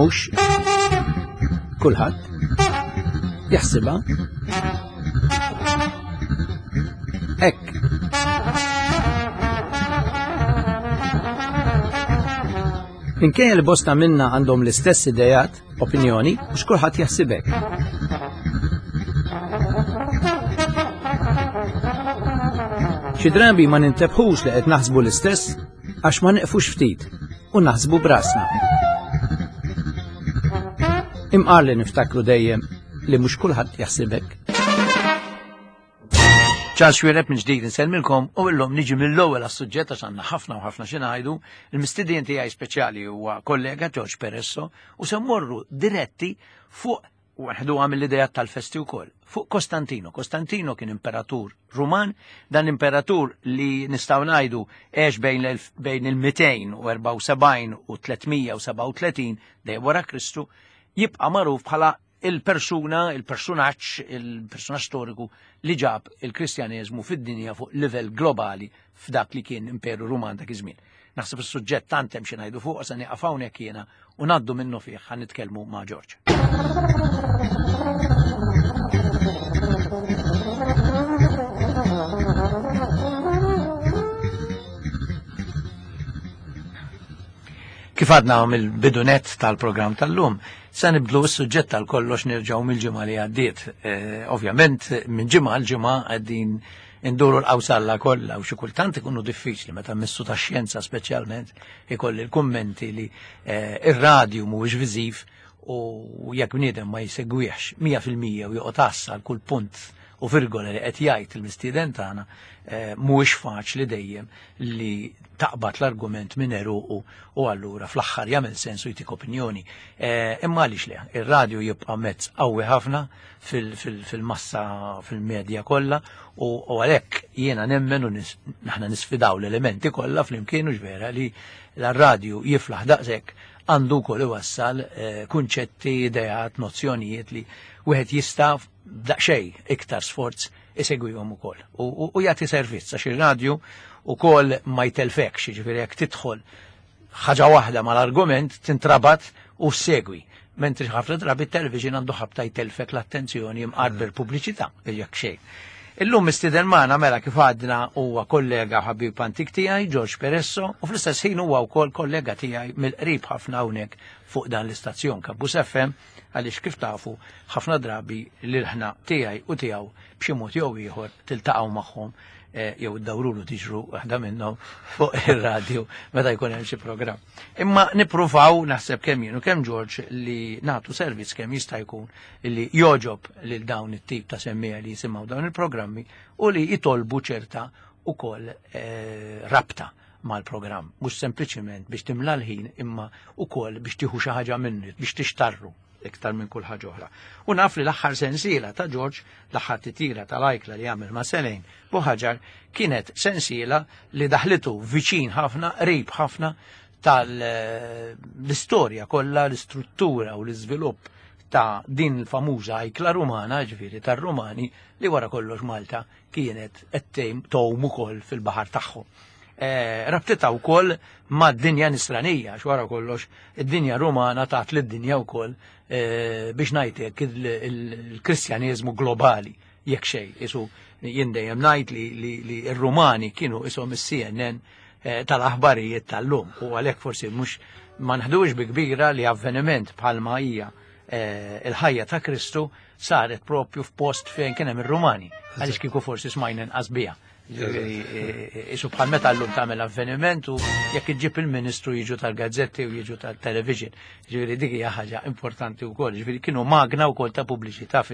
Mhux kulħadd jaħsibha hekk. Minkejja li bosta minna għandhom l-istess idejat, opinjoni, mhux kulħadd jaħsib hekk. Xi drabi ma nintebħux li qed naħsbu l-istess għax ma neqfux ftit u naħsbu brasna. Imqar li niftakru dejjem li mhux kulħadd jaħsibek. Charles Xuereb minn ġdid insellmilkom u illum niġi mill-ewwel għas-suġġett għax għandna ħafna u ħafna xi ngħidu. Il-mistiedien tiegħi speċjali huwa kollega George Peresso u se mmorru diretti fuq u nħduha mill-idejat tal-festi wkoll, fuq Kostantino. Kostantino kien imperatur Ruman, dan l-imperatur li nistgħu ngħidu għex bejn il-274 u 337 dejjem wara Kristu, jibqa' magħruf bħala il-persuna, il-persunaġġ, il-persunaġġ storiku li ġab il-Kristjaneżmu fid-dinja fuq livell globali f'dak li kien Imperu Ruman dak iż-żmien. Naħseb is-suġġett tant hemm xi ngħidu fuq se nieqaf hawnhekk jiena u ngħaddu minnu fih ħa nitkellmu ma' George. Kif għadna mill-bidunet tal-programm tal-lum, Se nibdlu s-suġġett tal kollox nerġgħu mill-ġimgħa li għaddiet. Eh, ovvjament minn ġimgħa għal ġimgħa qegħdin induru l-qawsalla kollha u xi kultant ikunu diffiċli meta missu ta' xjenza speċjalment ikolli l-kummenti li eh, ir-radju mhuwiex viżiv u jekk bniedem ma jsegwihx 100% u joqgħod għassa għal kull punt u virgola li qed jgħid il-mistieden tagħna eh, mhuwiex faċli dejjem li taqbad l-argument minn eruqu u allura fl-aħħar jagħmel sens u jtik opinjoni. Eh, imma għaliex le, ir-radju jibqa' mezz qawwi ħafna fil-massa fil-medja kollha u għalhekk jiena nemmen u naħna nisfidaw l-elementi kollha flimkien u vera li l-radju jiflaħ daqshekk għandu wkoll iwassal eh, kunċetti, ideat, nozzjonijiet li wieħed jista' daqsxejn iktar sforz isegwihom ukoll. U jagħti servizz għax ir-radju ukoll ma jtelfekx, jiġifieri jekk tidħol ħaġa waħda mal-argument tintrabat u segwi. Mentri ħafna drabi television għandu ħabta jtelfek l-attenzjoni imqarber pubbliċità jekk xejn. Illum mistieden magħna mela kif għadna huwa kollega ħabib antik tiegħi George Peresso u fl-istess ħin huwa wkoll kollega tiegħi mill-qrib ħafna hawnhekk fuq dan l-istazzjon Kabbus FM għaliex kif tafu ħafna drabi l-ilħna tiegħi u tiegħu b'xi mod jew ieħor tiltaqgħu magħhom eh, jew iddawrulu tiġru waħda minnhom fuq ir-radju meta jkun hemm xi programm. Imma nippruvaw naħseb kemm jien u kemm George li nagħtu servizz kemm jista' jkun li joġob lil dawn it-tip ta' semmija li jisimgħu dawn il-programmi u li jitolbu ċerta ukoll eh, rabta mal-programm, mhux sempliċiment biex timla l-ħin imma ukoll biex tieħu xi ħaġa minnu, biex tixtarru iktar minn kull ħaġa oħra. U naf li l-aħħar sensiela ta' George, l-aħħar titira tal-ajkla li għamel ma' Selejn Buħaġar, kienet sensiela li daħlitu viċin ħafna, qrib ħafna tal-istorja kollha, l-istruttura u l-iżvilupp ta' din il-famuża ajkla rumana, ġifieri tar-Rumani, li wara kollox Malta kienet qed tgħum ukoll fil-baħar tagħhom. Eh, rabtitha wkoll mad-dinja nisranija, għax wara kollox id-dinja Rumana tat lid-dinja wkoll eh, biex ngħidlek il-Kristjaneżmu globali jekk xejn. Isu jien dejjem ngħid li r-Rumani kienu ishom is-CNN eh, tal-aħbarijiet tal-lum u għalhekk forsi mhux ma nħdux bi kbira li avveniment bħalma hija il-ħajja ta' Kristu saret propju f'post fejn kien hemm ir-Rumani, għaliex kieku forsi smajna inqas biha. Isu bħal meta llum tagħmel avveniment u jekk iġġib il-ministru jiġu tal-gazzetti u jiġu tal-television. Ġifieri dik hija ħaġa importanti wkoll. Ġifieri kienu magna wkoll ta' pubbliċità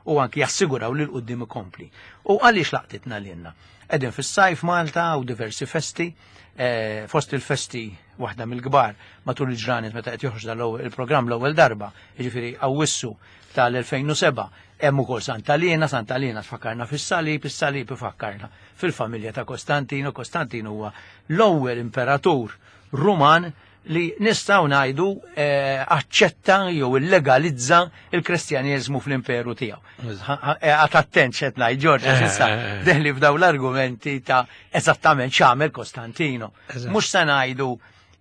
u anki jassiguraw li l-qudiem ikompli. U għaliex laqtitna lilna? Qegħdin fis-sajf Malta u diversi festi, eh, fost il-festi waħda mill-kbar matul il-ġranet meta qed joħroġ il-programm l-ewwel darba, jiġifieri Awwissu tal-2007, hemm ukoll Santa Liena, Santa Liena tfakkarna fis-salib, is-salib ifakkarna fil-familja ta' Kostantino, Kostantino huwa l-ewwel imperatur Ruman li nistgħu ngħidu eh, aċċetta jew illegalizza il-Kristjaneżmu fl-imperu tiegħu. Eh, għad attent x'qed ngħid Ġorġ għax issa eh, deħli f'daw l-argumenti ta' eżattament x'għamel Kostantino. Mhux se ngħidu.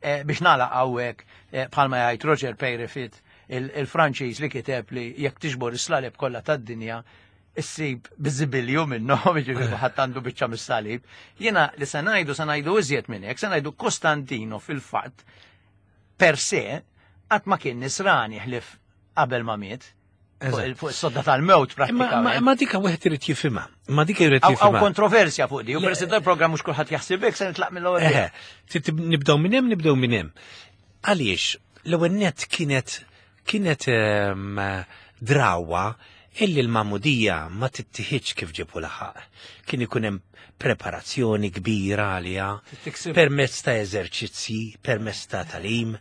eh, biex nagħlaq hawnhekk eh, bħalma jgħid Roger Peyrefit il-Franċiż li kiteb li jekk tiġbor is-slaleb kollha tad-dinja issib biżibilju minnhom, jiġifieri ħadd għandu biċċa mis-salib. Jiena li se ngħidu se ngħidu iżjed minn hekk, se ngħidu Kostantino fil-fatt per se qatt ma kien nisrani ħlif qabel ma miet. Fuq is-sodda tal-mewt prattikament. Ma dika wieħed irid jifhimha. Ma dika jrid jifhimha. Hawn kontroversja fuq di, u peress il-programm mhux kulħadd jaħsibek se nitlaq mill-ewwel. Nibdew minn hemm, nibdew minn hemm. Għaliex l-ewwel nett kienet kienet ehm, drawa illi l-magħmudija ma tittieħidx kif ġibu laħaq. Kien ikun hemm preparazzjoni kbira għaliha permezz ta' eżerċizzji, permezz ta' talim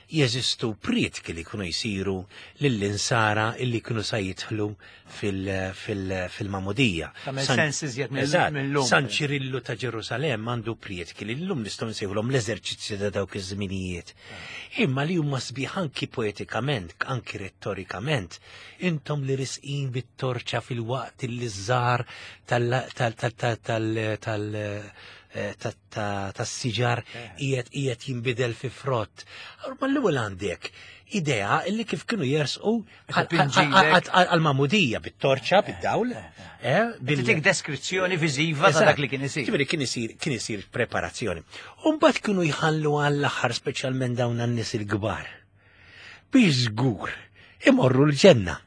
jeżistu prietki li jkunu jsiru lill-insara illi jkunu sa jidħlu fil-magħmudija. San Ċirillu ta' Ġerusalemm għandu prietki li llum nistgħu nsejħulhom l-eżerċizzji ta' dawk iż-żminijiet. Imma li huma sbieħ anki poetikament, anki rettorikament, intom li risqin bit-torċa fil-waqt li żżar tal eh, tas-siġar eh. qiegħed qiegħed jinbidel fi frott. Ma l-ewwel għandek idea illi kif kienu jersqu għal-mamudija bit-torċa, eh, bid-dawl. Bil deskrizzjoni viżiva ta' dak li kien isir. Ġifieri kien isir kien isir preparazzjoni. U mbagħad kienu jħallu għall-aħħar speċjalment dawn għan-nies il-kbar. Biex żgur imorru l-ġenna.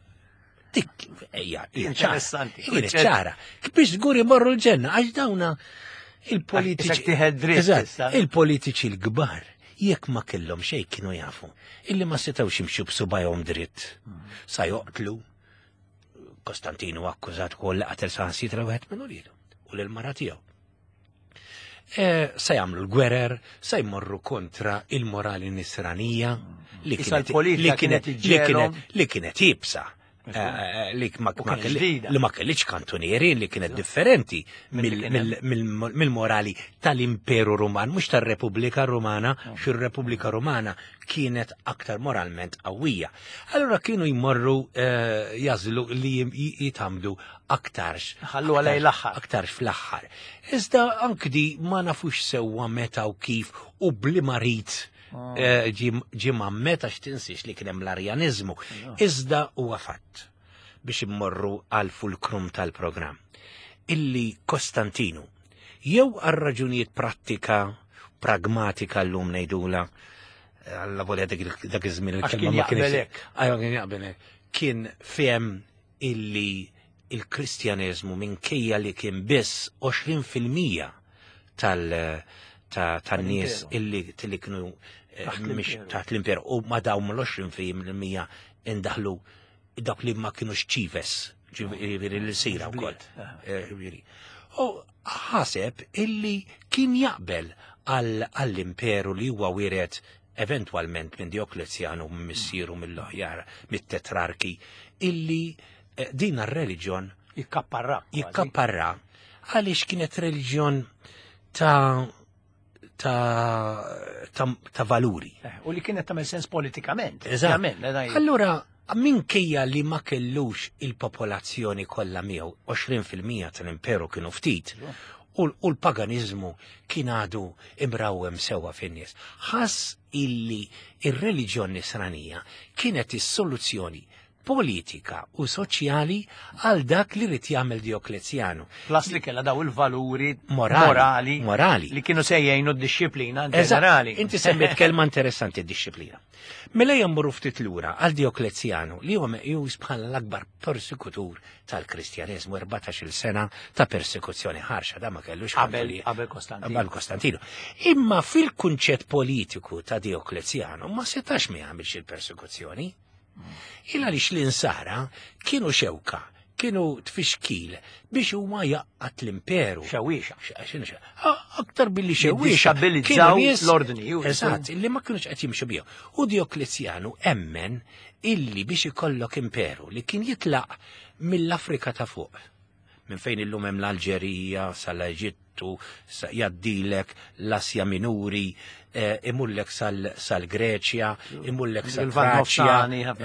Dik hija interessanti. Kienet ċara. Biex żgur imorru l-ġenna għax dawna il-politiċi. Il-politiċi l-kbar jekk ma kellhom xejn kienu jafu illi ma setgħux jimxu b'subajhom dritt. Sa joqtlu Kostantinu akkużat ukoll li qatel saħansitra wieħed minn uliedu u lil mara tiegħu. E, se jagħmlu l-gwerer, se jmorru kontra il-morali nisranija li kienet li kienet li kienet li kienet ibsa. Eh, eh, li ma li ma kellix kantunieri li kienet differenti mill-morali tal-Imperu Ruman, mhux tar-Repubblika Rumana, xi r-Repubblika Rumana kienet aktar moralment qawwija. Allura kienu jmorru eh, jażlu li jitamdu aktarx. Ħallu għalej l-aħħar. Aktarx fl-aħħar. Iżda anki di ma nafux sewwa meta u kif u bli marit ah. eh, ġi meta x'tinsiex li kien hemm l-arjanizmu. Iżda huwa fatt biex immorru għal fulkrum tal-programm. Illi Kostantinu, jew għal raġunijiet prattika, pragmatika l-lum ngħidula, għalla volja dak iż-żmien il-kelma ma kienx. Kien jaqbelek. Kien fehem illi il-Kristjaneżmu minkejja li kien biss 20% tal tan-nies illi illi kienu eh, taħt l-imperu u ma dawn l-20% indaħlu dak li ma kienux ċives, ġifieri l-sira wkoll. Eh, u ħaseb illi kien jaqbel għall-imperu li huwa wiret eventwalment minn Dioklezjanu missieru mill-oħjar mit-tetrarki illi eh, din ar-reliġjon jikkapparra jikkapparra għaliex kienet reliġjon ta' ta', ta, ta valuri. Eh, u li kienet tagħmel sens politikament. Eżatt. Eh, Allura minkejja li ma kellux il-popolazzjoni kollha miegħu 20% tal-imperu kienu ftit, u l-paganizmu kien għadu imrawem sewwa fin-nies. Ħass illi ir-reliġjon nisranija kienet is-soluzzjoni politika u soċjali għal dak li rid jagħmel Dioklezjanu. Plus li kellha daw il-valuri morali, morali li kienu se jgħinu d-disciplina ġenerali. Inti semmiet kelma interessanti d-disciplina. Mela jemmurru ftit lura għal Dioklezjanu li huwa meqjus bħala l-akbar persekutur tal-Kristjaneżmu 14-il sena ta' persekuzzjoni ħarxa da ma kellux qabel qabel Kostantino. Qabel Kostantino. Imma fil-kunċett politiku ta' Dioklezjanu ma setax ma jagħmilx il-persekuzzjoni. Il għaliex l-insara kienu xewka kienu tfixkil biex huma jaqqat l-imperu. Xewwiexa. Aktar billi xewwiexa. Kienu l-ordni. Eżatt, illi ma kienux qed jimxu bihom. U Dioklezjanu emmen illi biex ikollok imperu li kien jitlaq mill-Afrika ta' fuq. Minn fejn illum hemm l-Alġerija sal-Eġittu, jaddilek l-Asja Minuri, eh, imullek sal-Greċja, imullek sal-Traċja,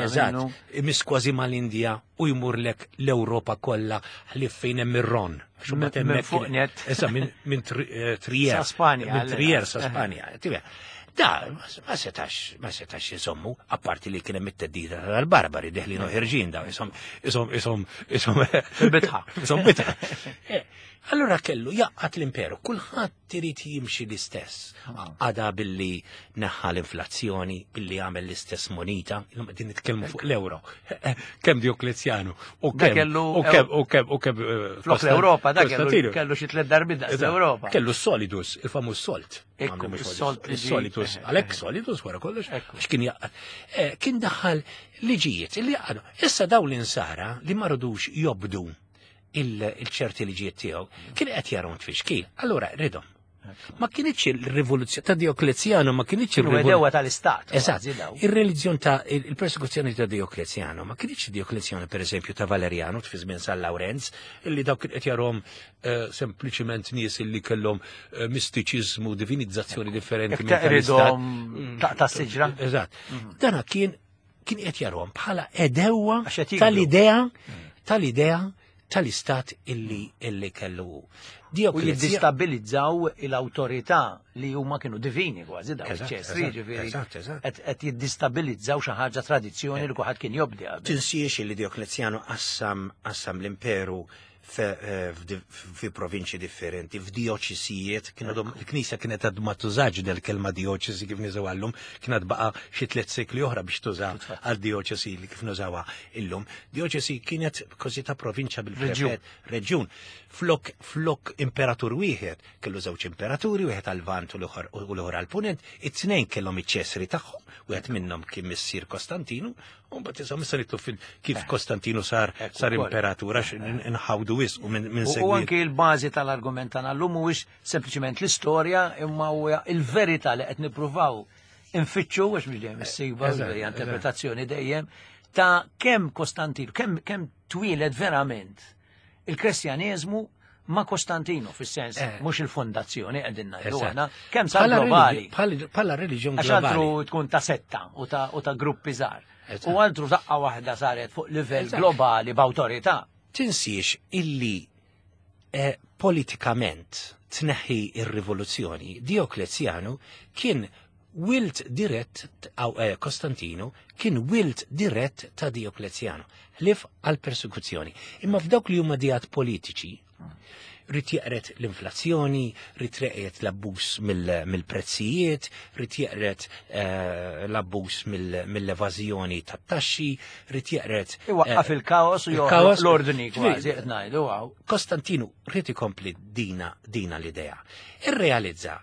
eżatt, imiss kważi mal-Indja u jmurlek l-Ewropa kollha ħlief fejn hemm ir-Ron. Minn fuq net. Issa minn eh, Trier. Sa Spanja. Minn Trier sa Spanja. Da, ma setax, ma setax jisommu, apparti li kien hemm it-teddida tal-barbari deħlin u ħirġin da, isom, isom, isom, isom. Bitħa. Isom bitħa. Eh, allura kellu jaqqat l-imperu, kulħadd irid jimxi l-istess. Għada billi neħħa l-inflazzjoni, billi għamel l-istess monita, illum qegħdin nitkellmu fuq l-euro. Kemm Dioklezjanu u kemm u kemm u kemm u kemm eh, flok l-Ewropa da kellu xi tliet darbi daqs l-Ewropa. Kellu solidus, il-famuż solt. Ekku, solt solidus, għalhekk solidus wara kollox, għax kien jaqgħad. Eh, kien daħal liġijiet li jaqgħdu. Issa dawn l-insara li ma rridux jobdu il-ċerti liġijiet tiegħu, kien qed jarom tfixkil. Allura ridhom. Ma kienx il-rivoluzzjoni ta' Dioklezjano, ma kienx il-rivoluzzjoni tal-istat. Eżatt. Ir-reliġjon ta' il-persekuzzjoni ta' Dioklezjano, ma kienx Dioklezjano per eżempju ta' Valeriano fi żmien San Lawrenz, illi dawk qed jarhom eh, sempliċiment nies illi kellhom eh, mistiċiżmu, divinizzazzjoni differenti minn tal-istat. Mm. Ta' siġra. Eżatt. Mm. Dana kien kien qed jarhom bħala edewwa tal-idea mm. tal-idea tal-istat illi illi kellu. U jiddistabilizzaw l-awtorità li huma kienu divini kważi daw ċesri, ġifieri. Qed jiddistabilizzaw xi ħaġa tradizzjoni li kulħadd kien jobdi. Tinsiex li Dioklezjanu qassam qassam l-imperu Eh, fi provinċi differenti, f'dioċisijiet, kienu il-Knisja kienet għad ma tużax del-kelma dioċesi kif niżaw għallum, kienet baqa xi tliet sekli oħra biex tuża għal dioċesi li kif nużawha illum. Dioċesi kienet kważi ta' provinċja bil-prefett, reġjun. Flok flok imperatur wieħed, kellu żewġ imperaturi, wieħed għal-Vant u l-oħra għal-Punent, it-tnejn kellhom iċ-ċesri tagħhom, wieħed minnhom kien missier Kostantinu, U mbagħad insomma issa nitlu fil kif eh. Kostantinu sar sar imperatur għax nħawdu wisq u minn segwi. U anki l-bażi tal-argument tagħna llum mhuwiex sempliċement l-istorja imma huwa il-verità li qed nippruvaw infittxu għax mhux dejjem issiba hija interpretazzjoni dejjem ta' kemm Kostantinu, kemm kemm twieled verament il-Kristjaneżmu ma' Kostantinu fis-sens eh. mhux il-fondazzjoni qegħdin ngħidu aħna kemm sar globali. Bħala reliġjon globali. Għax altru tkun ta' setta u ta' gruppi żgħar. U altru daqqa waħda saret fuq livell globali b'awtorità. Tinsiex illi eh, politikament tneħħi ir-rivoluzzjoni, Dioklezjanu kien wilt dirett eh, Kostantinu kien wilt dirett ta' Dioklezjanu, ħlief għal persekuzzjoni. Imma f'dawk li huma dijat politiċi, rrid jeqret l-inflazzjoni, rrid jeqret l-abbuż mill-prezzijiet, rrid jeqret eh, l-abbuż mill-evażjoni tat-taxxi, rrid jeqret. Eh, Iwaqqaf il-kaos u joħloq l-ordni kważi qed ngħidu. Kostantinu rrid ikompli dina dina l-idea. Irrealizza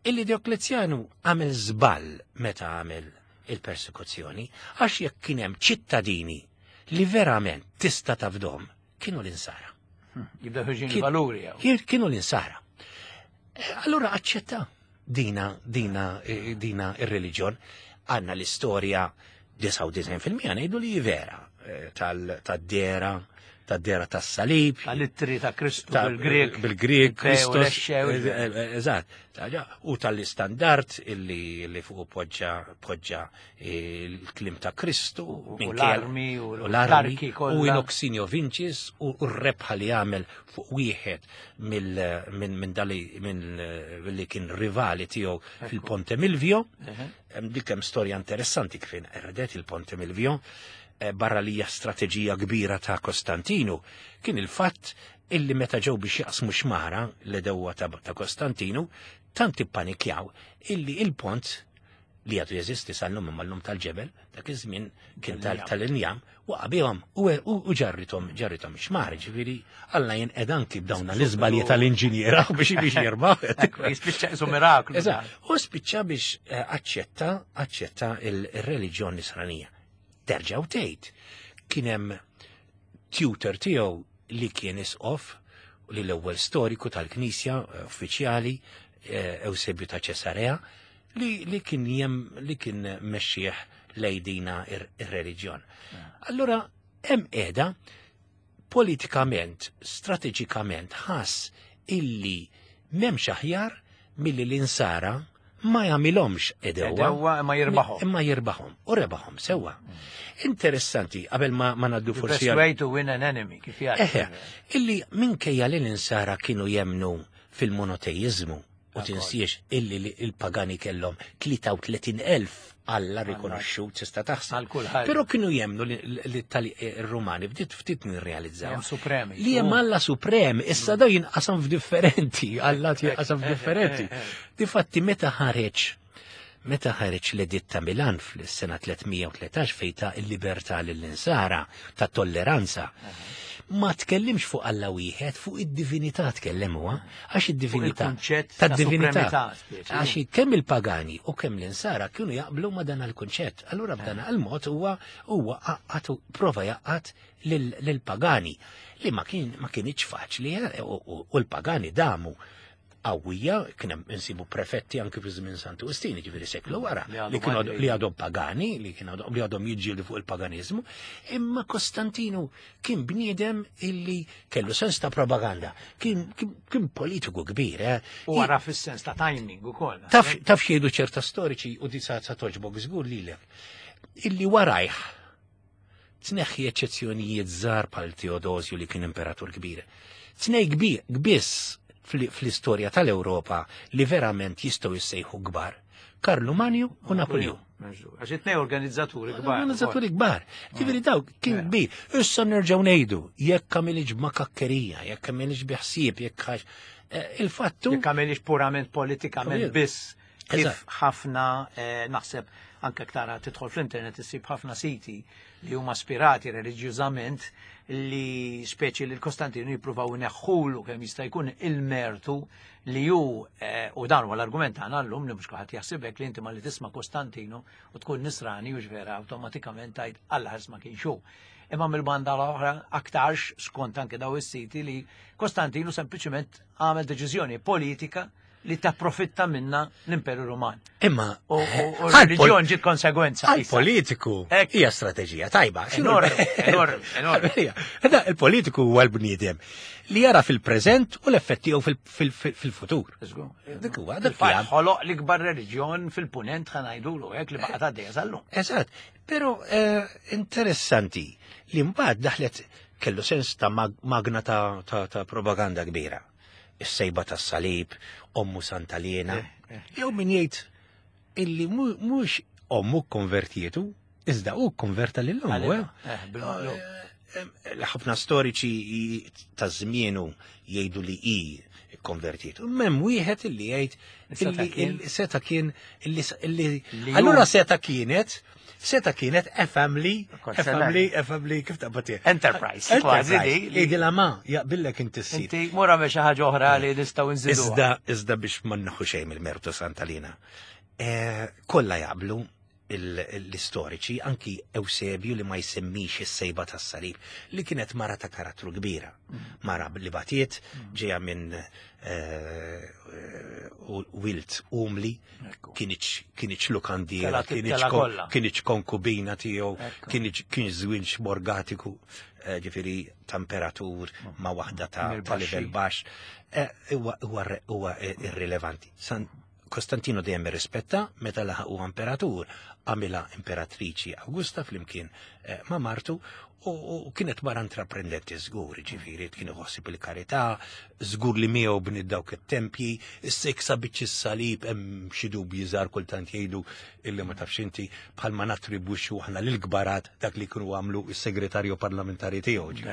Illi Dioklezjanu għamel żball meta għamel il-persekuzzjoni, għax jekk kien hemm ċittadini li verament tista' tafdhom, kienu l-insara. Jibda ħirġin valuri. Kienu l-insara. Eh, allura aċċetta dina dina eh, dina ir-reliġjon. Għandna l-istorja 99% ngħidu li vera eh, tal-dera tad-dera tas-salib. Tal-ittri ta' Kristu bil-Grek. Bil-Grek, Kristus. Eh, eh, eżatt. U tal-istandard illi fuq poġġa poġġa il-klim ta' Kristu. U l-armi u l-armi. U inoxinio vincis u r-rebħa li għamel fuq wieħed minn dali minn li kien rivali tiegħu fil-Ponte Milvio. Dik hemm storja interessanti kif inqerdet il-Ponte Milvio. Eh, barra li hija strateġija kbira ta' Kostantinu, kien il-fatt illi meta ġew biex jaqsmu xmara l-edewwa ta', ta Kostantinu, tant ippanikjaw illi il-pont li għadu jeżisti sal-lum imma l-lum tal-ġebel, dak iż-żmien kien tal-injam, waqa' bihom u ġarrithom ġarrithom xmar, ġifieri Alla jinqed anki b'dawn l-iżbalji tal-inġiniera biex biex jirbaħ. Jispiċċa isu miraklu. Eżatt, u spiċċa biex eh, aċċetta aċċetta il-reliġjon nisranija. Terġa' u tgħid kien hemm tutor tiegħu li kien isqof li l-ewwel storiku tal-Knisja eh, uffiċjali eh, Eusebju ta' Ċesarea li, li kien jem li kien mexxieħ lejdina ir-reliġjon. Allura hemm qiegħda politikament, strateġikament ħass illi m'hemmx aħjar milli l-insara ma jagħmilhomx edewa. Edewa imma jirbaħhom. Imma jirbaħhom u rebaħhom sewwa. Interessanti, qabel ma, ma naddu forsi. Best way to win an enemy, kif jgħid. Eħe, illi minkejja li l-insara kienu jemnu fil-monoteizmu. U tinsiex illi il-pagani kellhom 33,000 Alla rikonoxxut tista' taħseb. Però kienu jemnu li tal-Rumani bdiet ftit nirrealizzaw. Supremi. Li hemm Alla suprem, issa da jinqasam f'differenti, Alla jinqasam f'differenti. Eh, eh, eh. Difatti meta ħareġ Meta ħareġ l-Editt ta' Milan fl-sena 313 fejn ta' il-libertà lill-insara, ta' tolleranza, ma tkellimx fuq Alla wieħed, fuq id-divinità tkellem huwa, għax id-divinità ta' divinità. Għax kemm il-pagani u kemm l-insara kienu jaqblu ma' dan il-kunċett. Allura b'dan il-mod huwa huwa għaqqat prova jaqqat lill-pagani li ma kien ma kienx faċli eh, u l-pagani damu qawwija, kien hemm insibu prefetti anki fi żmien Santu Wistin, jiġifieri seklu wara, li kienu li għadhom pagani, li kienu li għadhom jiġġieldu fuq il-paganiżmu, imma Kostantinu kien bniedem illi kellu sens ta' propaganda, kien, kien, politiku kbir. Eh? U wara fis-sens ta' timing ukoll. Taf taf xiedu ċerta storiċi u di sa toġbok żgur lilek. Illi warajh tneħħi eċċezzjonijiet żgħar bħal Teodosju li kien imperatur kbir. Tnej kbir biss fl-istorja tal-Ewropa li verament jistgħu jissejħu kbar. Karlu Manju u Napoleon. Għax it-tnej organizzaturi kbar. Organizzaturi kbar. Ġifieri dawk kien kbir. Issa nerġgħu ngħidu, jekk għamilx b'makakkerija, jekk għamilx bi ħsieb, jekk għax eh, il-fattu. Jekk għamilx purament politikament biss Kif ħafna eh, naħseb anke tara tidħol fl-internet issib ħafna siti li huma spirati reliġjużament li speċi li l-Kostantinu jippruvaw ineħħulu kemm jista' jkun il-mertu li hu eh, u dan huwa l-argument tagħna llum li mhux kulħadd jaħsibek li inti ma li tisma' Kostantinu u tkun nisrani u vera awtomatikament tgħid Alla ħars ma kienx hu. Imma mill-banda l-oħra aktarx skont anke daw is-siti li Kostantinu sempliċement għamel deċiżjoni politika li tapprofitta minna l-Imperu Ruman. Imma u reliġjon ġiet konsegwenza. Għal-politiku hija strateġija tajba. Enormi, enormi, enormi. Il-politiku huwa l-bniedem li jara fil-preżent u l-effett tiegħu fil-futur. Dik huwa dak li ħoloq l-ikbar reliġjon fil-punent ħanajdulu hekk li baqgħet għaddejja sal-lum. Eżatt, però eh, interessanti li mbagħad daħlet kellu sens ta' magna ta' propaganda kbira. is-sejba tas-salib, ommu Santa Liena. Eh, eh. Jew min jgħid illi mhux ommu konvertietu, iżda hu konverta lil ommu. Eh? Ħafna storiċi ta' żmienu jgħidu li hi konvertiet. Mem wieħed illi jgħid seta kien illi allura seta kienet Seta kienet a family, a family, a family, kif taqbad Enterprise, kważi di. Idi la ma, jaqbillek inti s Inti mura me xi ħaġa oħra li nistgħu nżidu. Iżda, iżda biex ma nħu xejn mill-mertu Santalina. Eh, kollha jaqblu l-istoriċi, anki Eusebju li ma jsemmix is-sejba tas-salib, li kienet mara ta' karattru kbira. Mm. Mara li batiet, mm. ġeja minn eh, wilt umli, Kienieċ lukandiera, kienieċ konkubina tiegħu, kienieċ kien żwieġ morgatiku, eh, ġifieri ta' imperatur mm. ma' waħda ta' livell baxx. Eh, huwa irrilevanti. Kostantino dejjem irrispetta meta laħaq huwa imperatur, għamilha imperatriċi Augusta flimkien eh, ma' martu U kienet mara intraprendenti żgur, ġifieri kien iħossib il-karità, żgur li miegħu bniet dawk it-tempji, issa jekk sabitx is-salib hemm xi dubji żgħar kultant jgħidu illi ma tafx inti bħalma nattribwixxu aħna lill-kbarat dak li kienu għamlu s-segretarju parlamentari tiegħu.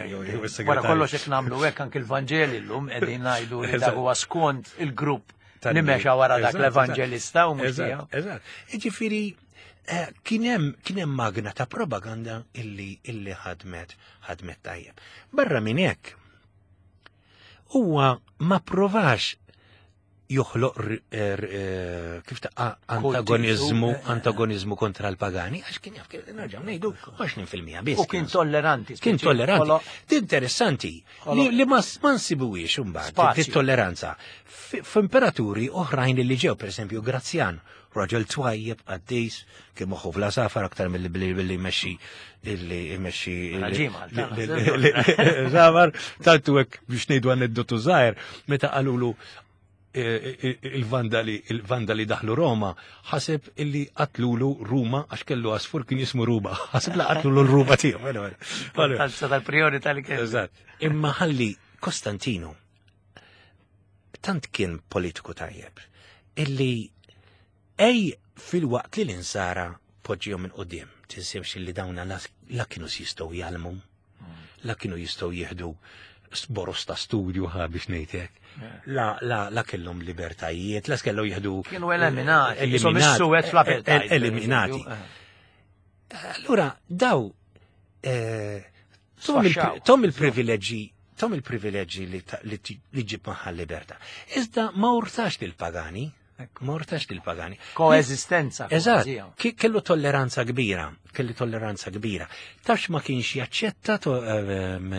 Wara kollox hekk nagħmlu hekk anke l-Vanġeli llum qegħdin ngħidu li dak huwa skont il-grupp li mexa wara dak l-evanġelista u mhux tiegħu. Eżatt. Ġifieri Eh, kien hemm magna ta' propaganda illi illi ħadmet ħadmet tajjeb. Barra minn hekk huwa ma provax joħloq eh, eh, kif ta' antagonizmu antagonizmu kontra l-pagani għax kien jaf kien nerġgħu ngħidu 20% biss. U kien tolleranti. Kien tolleranti. Interessanti li ma nsibuwiex imbagħad it-tolleranza f'imperaturi oħrajn li ġew pereżempju Grazzjan Raġel twajjeb, qaddis, kien moħħu fl-għasafar aktar milli billi billi jmexxi illi jmexxi. Żafar, tantu hekk biex ngħidu aneddotu żgħir, meta qalulu e, e, e, il-vandali il-vandali daħlu Roma, ħaseb illi qatlulu Ruma għax kellu għasfur kien jismu Ruma, ħaseb la qatlulu l-Ruma tiegħu. Tal-priorità li kien. Eżatt. Imma ħalli Kostantinu. tant kien politiku tajjeb illi ej fil-waqt li l-insara poġġihom minn qudiem, tinsewx li dawna la kienu jistgħu jgħallmu, la kienu jistgħu jieħdu boros ta' studju ħa biex ngħidlek. La, la, la kellhom libertajiet, la kellhom jieħdu. Kienu eliminati, jisom is-suwed fl-apartheid. Eliminati. Allura, daw, eh, tom il-privileġġi tom il-privileġġi li ġib magħha l-libertà. Iżda ma urtax lill-pagani, ma urtax lill-pagani. Koeżistenza. Eżatt, kellu tolleranza kbira, kellu tolleranza kbira. Tafx ma kienx jaċċetta ehm,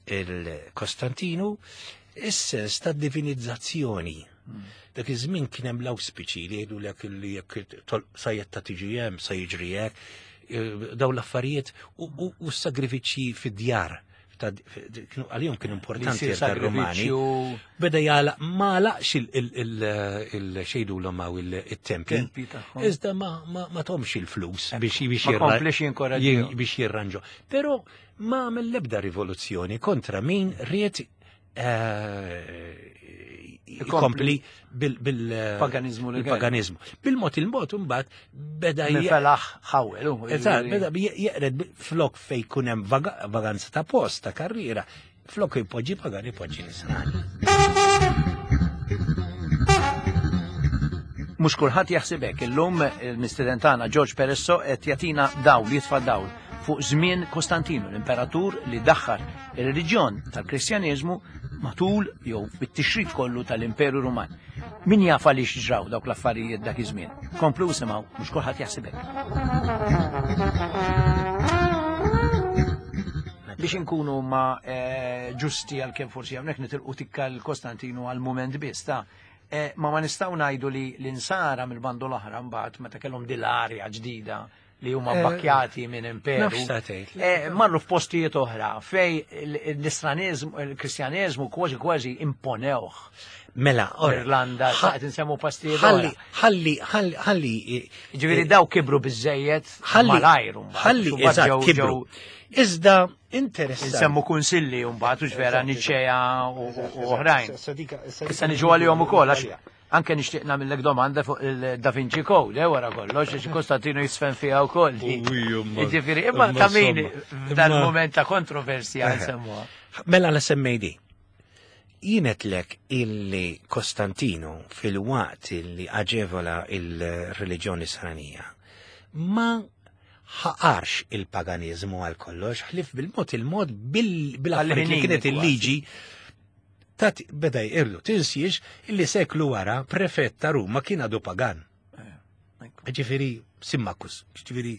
il-Kostantinu is-sens ta' divinizzazzjoni. Dak iż-żmien kien hemm l-awspiċi li jgħidu lek li jekk sajjetta tiġi hemm se jiġri hekk, eh, daw l-affarijiet u s-sagrifiċċji fid-djar għalihom kienu importanti tar-Rumani. Beda jagħlaq ma laqx il-xejdu l hawn il-tempi. Iżda ma tomx il-flus biex biex jirranġu. Però ma għamel l-ebda rivoluzzjoni kontra min ried eh, ikompli bil-paganizmu. Bil-paganizmu. Bil-mod il-mod imbagħad beda felaħ ħawel. Eżatt, beda jeqred flok fej kun hemm vaganza ta' post, ta' karriera, flok jpoġġi pagan ipoġġi nisrani. Mhux kulħadd jaħseb hekk. Illum il-mistieden tagħna George Peresso qed jagħtina dawl, jitfa' dawl fuq żmien Kostantinu, l-imperatur li daħħal ir-reliġjon tal-Kristjaneżmu matul jew bit-tixrid kollu tal-Imperu Ruman. Min jaf għaliex ġraw dawk l-affarijiet dak iż-żmien. Komplu isimgħu, mhux kulħadd jaħseb hekk. Biex inkunu ma eh, ġusti għal kemm forsi hawnhekk nitilqu tikka l-Kostantinu għal mument biss ta' eh, ma ma nistgħu ngħidu li l-insara mill-bandu l-oħra mbagħad meta kellhom dil-arja ġdida li huma eh, bakkjati minn imperu. Eh, marru f'postijiet oħra fej l-Istraniżmu, il-Kristjaneżmu kważi kważi imponewh. Mela, Irlanda, qed insemmu postijiet ħalli, ħalli, ħalli, ħalli. Ġifieri eh, daw kibru biżejjed ħalli malajr Ħalli, eżatt, kibru. Iżda interessanti. Insemmu kunsilli mbagħad u vera Niċea u oħrajn. Issa niġu għalihom ukoll għax Anke nixtieq nagħmillek domanda fuq il-Da Vinci Code, eh, wara kollox, għax Kostantino jisfen fiha wkoll. Jiġifieri, imma ta' min f'dan mument ta' kontroversja eh. nsemmuha. Mela la semmejdi. Jienetlek illi Kostantino fil-waqt illi aġevola il-reliġjoni Nisranija ma ħaqarx il-paganiżmu għal kollox, ħlif bil-mod il-mod bil-affarijiet li kienet il-liġi Tat beda jqirlu, tinsiex illi seklu wara prefett ta' Ruma kien għadu pagan. Eh, ġifieri Simmakus, ġifieri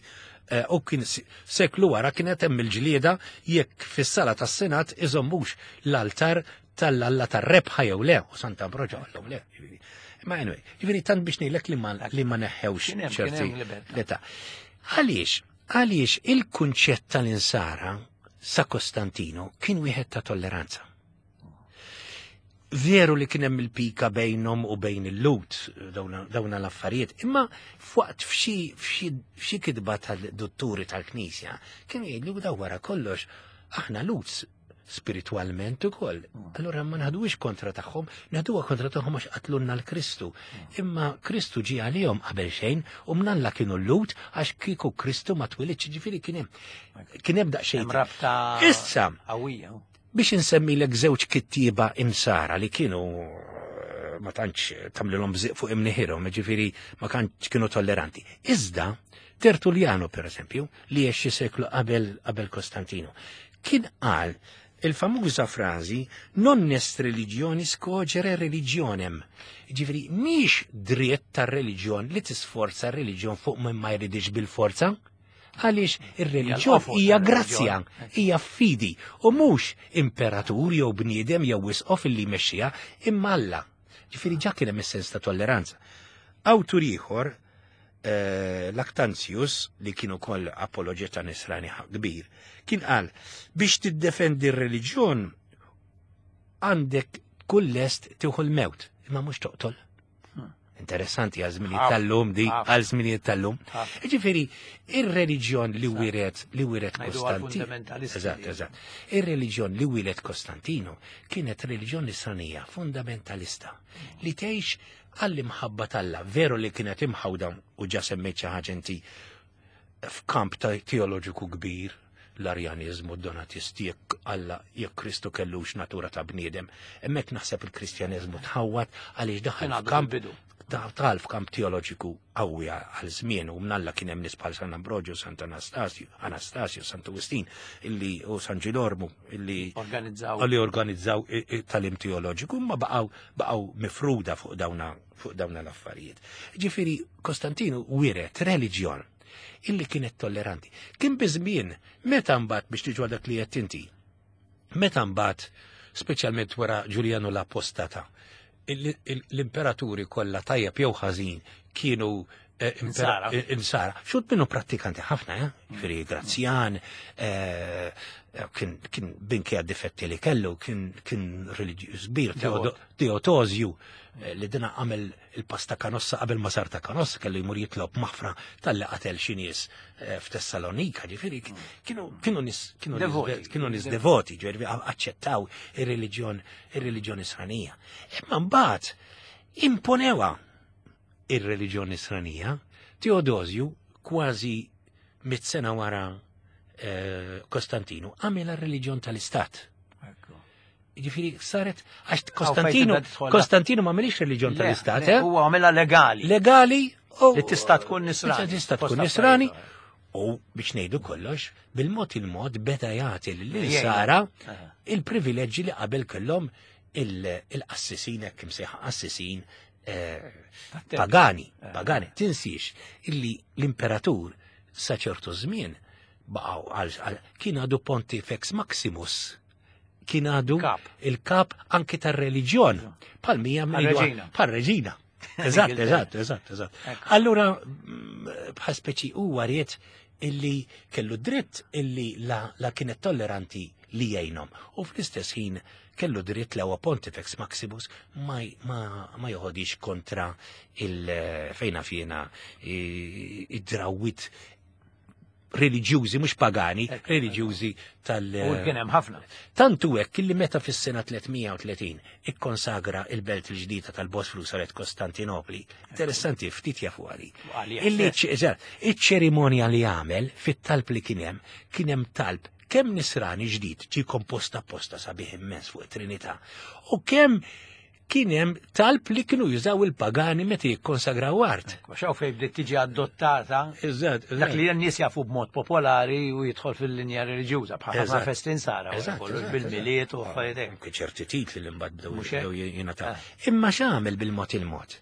eh, u kien seklu wara kienet hemm il-ġlieda jekk fis-sala tas-Senat iżommux l-altar tal-alla tar-rebħa jew le, u Santa Ambroġo għallhom le. Ma anyway, ġifieri tant biex ngħidlek li ma li ma neħħewx ċerti l-età. Għaliex, għaliex il-kunċett tal-insara sa Kostantino kien wieħed ta' tolleranza. Veru li kien hemm il-pika bejnhom u bejn il-Lut dawna l-affarijiet, imma f'waqt f'xi kitba tal-dutturi tal-Knisja kienu jgħidlu daw wara kollox aħna Lut spiritualment ukoll. Allura ma naħduwix kontra tagħhom, naħduha kontra tagħhom għax qatlunna l-Kristu. Imma Kristu ġie għalihom qabel xejn u mnalla kienu l-Lut għax kieku Kristu ma twilidx, ġifieri kien hemm kien hemm daqsxejn. Rabta Issa qawwija. Biex insemmilek żewġ kittieba imsara li kienu eh, ma tantx tagħmlilhom bżiq fuq imniħirhom, ġifieri ma kantx kienu tolleranti. Iżda Tertulliano per eżempju, li għex xi seklu qabel qabel Kostantino, kien qal il-famuża frażi non est religionis cogere religionem. Ġifieri mhix dritt tar-reliġjon li tisforza r-reliġjon fuq min ma jridix bil-forza. Għaliex ir-reliġjon hija grazzja, hija fidi, u mhux imperatur jew bniedem jew isqof illi jmexxiha, imma Alla. Ġifieri ġa kien hemm is-sens ta' tolleranza. Awtur ieħor, eh, Lactantius, li kien ukoll apologeta nisrani kbir, kien qal biex tiddefendi r-reliġjon għandek kull lest tieħu l-mewt, imma mhux toqtol. Interessanti għal żminijiet tal-lum di, għal żminijiet tal-lum. Ġifieri, ir-reliġjon li wiret li wiret Kostantino. Eżatt, eżatt. Ir-reliġjon li wiret Kostantino kienet reliġjon nisranija fundamentalista li tgħix għall-imħabba t'Alla, veru li kienet imħawda u ġa semmejt xi ħaġa inti f'kamp ta' teoloġiku kbir, l-Arjanizmu, d-Donatisti, jekk Alla, jekk Kristu kellux natura ta' bniedem. Hemmhekk naħseb il-Kristjaneżmu tħawwad għaliex daħal f'kamp daħal f'kamp teoloġiku qawwi għal żmien u mnalla kien hemm nies bħal San Ambrogio, Sant Anastasio, Anastasio, Sant Wistin illi u San Ġilormu illi organizzaw li organizzaw talim teoloġiku ma baqgħu baqgħu mifruda fuq dawna fuq dawna l-affarijiet. Ġifieri Kostantinu wiret reliġjon illi kienet tolleranti. Kien biżmien meta mbagħad biex tiġu dak li qed inti. Meta mbagħad speċjalment wara Ġuljanu l-Apostata, l-imperaturi kollha tajjeb jew ħażin kienu eh, Insara. eh, insara. Xud minnu prattikanti ħafna, eh? Ġifieri Grazzjan, eh, kien kien binkejja difetti li kellu, kien kien reliġjuż kbir, Devot. Teodosju, li dina għamel il-pasta kanossa qabel ma sar ta' kanossa kellu jmur jitlob maħfra tal-li qatel xi nies f'Tessalonika, ġifieri kienu kienu nies kienu nies Devoti. kienu nies devoti, ġifieri aċċettaw ir-reliġjon ir-reliġjon Nisranija. Imma mbagħad imponewa ir-reliġjon Nisranija, Teodosju kważi mit sena wara Kostantinu għamel r-reliġjon tal-Istat. Ġifieri saret għax Kostantinu tibda tidħol- Kostantinu ma għamilix reliġjon Le, tal-Istat, le, eh? Huwa għamilha legali. Legali u Li tista' tkun nisrani. Tista' tkun Fost nisrani. affarijiet U biex ngħidu kollox, bil-mod il-mod beda jagħti lill-insara Aha. il-privileġġi li qabel kellhom il-qassisin hekk imsejħa qassisin Tat-tempju. pagani, pagani. Tinsiex illi l-imperatur sa ċertu żmien baqgħu għal kien għadu Pontifex Maximus. Kien għadu Kap. il-kap anki tar-reliġjon. Bħal mija Bħal-reġina. Bħal-reġina. Eżatt, Ingilterra. eżatt, eżatt, eżatt. Ekku. Allura, bħal speċi huwa ried illi kellu dritt illi la, la kienet tolleranti li jgħinhom. U fl-istess ħin kellu dritt la huwa Pontifex Maximus ma, ma, ma joħodix kontra il fejna fjena id-drawit reliġjużi, mhux pagani, Ekku, reliġjużi tal- U kien hemm ħafna. Tantu hekk illi meta fis-sena 330 ikkonsagra il-belt il-ġdida tal-Bosfru saret Kostantinopli. Interessanti ftit jafu għali. Għalija Illi stess. eżatt, iċ-ċerimonja li għamel fit-talb li kien hemm, kien hemm talb kemm nisrani ġdid ġi komposta apposta sabiħ immens fuq it-Trinità. U kemm kien hemm talb li kienu jużaw il-pagani meta jikkonsagraw art. Għax hawn fejn bdiet tiġi adottata Eżatt, dak li n-nies jafu b'mod popolari u jidħol fil-linja reliġjuża bħal ħafna Eżatt. festi nsara wara Eżatt, kollox eżatt, bil-miliet u eżatt. affarijiet hekk. Anke ċerti titli li mbagħad bdew Mhux hekk? bdew jingħataw. Ah. Imma x'għamel bil-mod il-mod?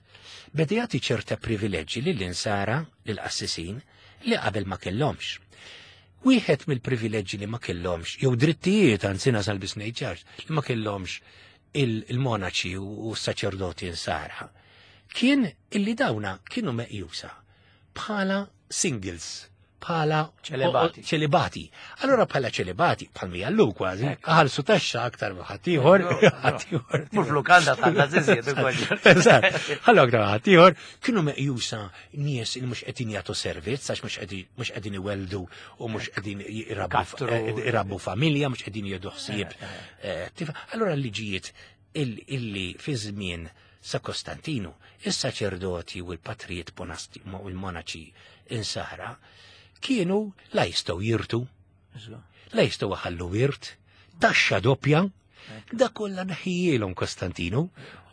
Beda jagħti ċerta privileġġi lill-insara, lill-qassisin, li qabel ma kellhomx. Wieħed mill-privileġġi li ma kellhomx, jew drittijiet anzi nasal biss ngħid ċar, li ma kellhomx il-monaċi u s-saċerdoti insara, kien illi dawna kienu meqjusa bħala singles, bħala Ċelibati. ċelibati. Allora bħala ċelibati, bħal mi għallu kważi, Ekku. ħalsu taxxa aktar ma ħaddieħor, No, no. ħaddieħor. Mhux lukanda tħallas iżjed ukoll. Eżatt, ħallu aktar ma ħaddieħor, kienu meqjusa nies li mhux qegħdin jagħtu servizz għax mhux qegħdin mhux qegħdin iweldu u mhux qegħdin irabbu Kattru. irabbu familja, mhux qegħdin jieħdu ħsieb. Allora l-liġijiet illi fi żmien sa Kostantinu, is-saċerdoti u l-patrijiet monasti u l-monaċi insara kienu la jistgħu jirtu, la jistgħu ħallu wirt, taxxa doppja, da kollha neħjielhom Kostantinu.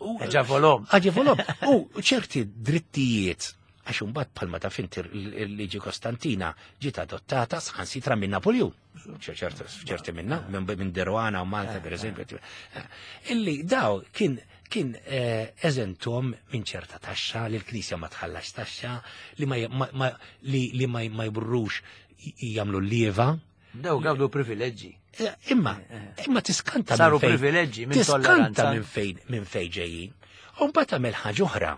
U- Aġevolhom. Aġevolhom. U ċerti drittijiet għax imbagħad bħalma taf inti il-liġi Kostantina ġiet adottata saħansitra minn Napoleon. Ċerti minna, minn Deruana u Malta per eżempju. Illi daw kien kien eżentom minn ċerta taxxa, li l-Knisja ma tħallax taxxa, li ma ma- li li ma ma jburrux jagħmlu l-lieva. Daw gawdu privileġġi. Imma, imma tiskanta Saru minn fejn- privileġġi minn tiskanta tolleranza. minn fejn minn fejn ġejjin. U mbagħad għamel ħaġa oħra.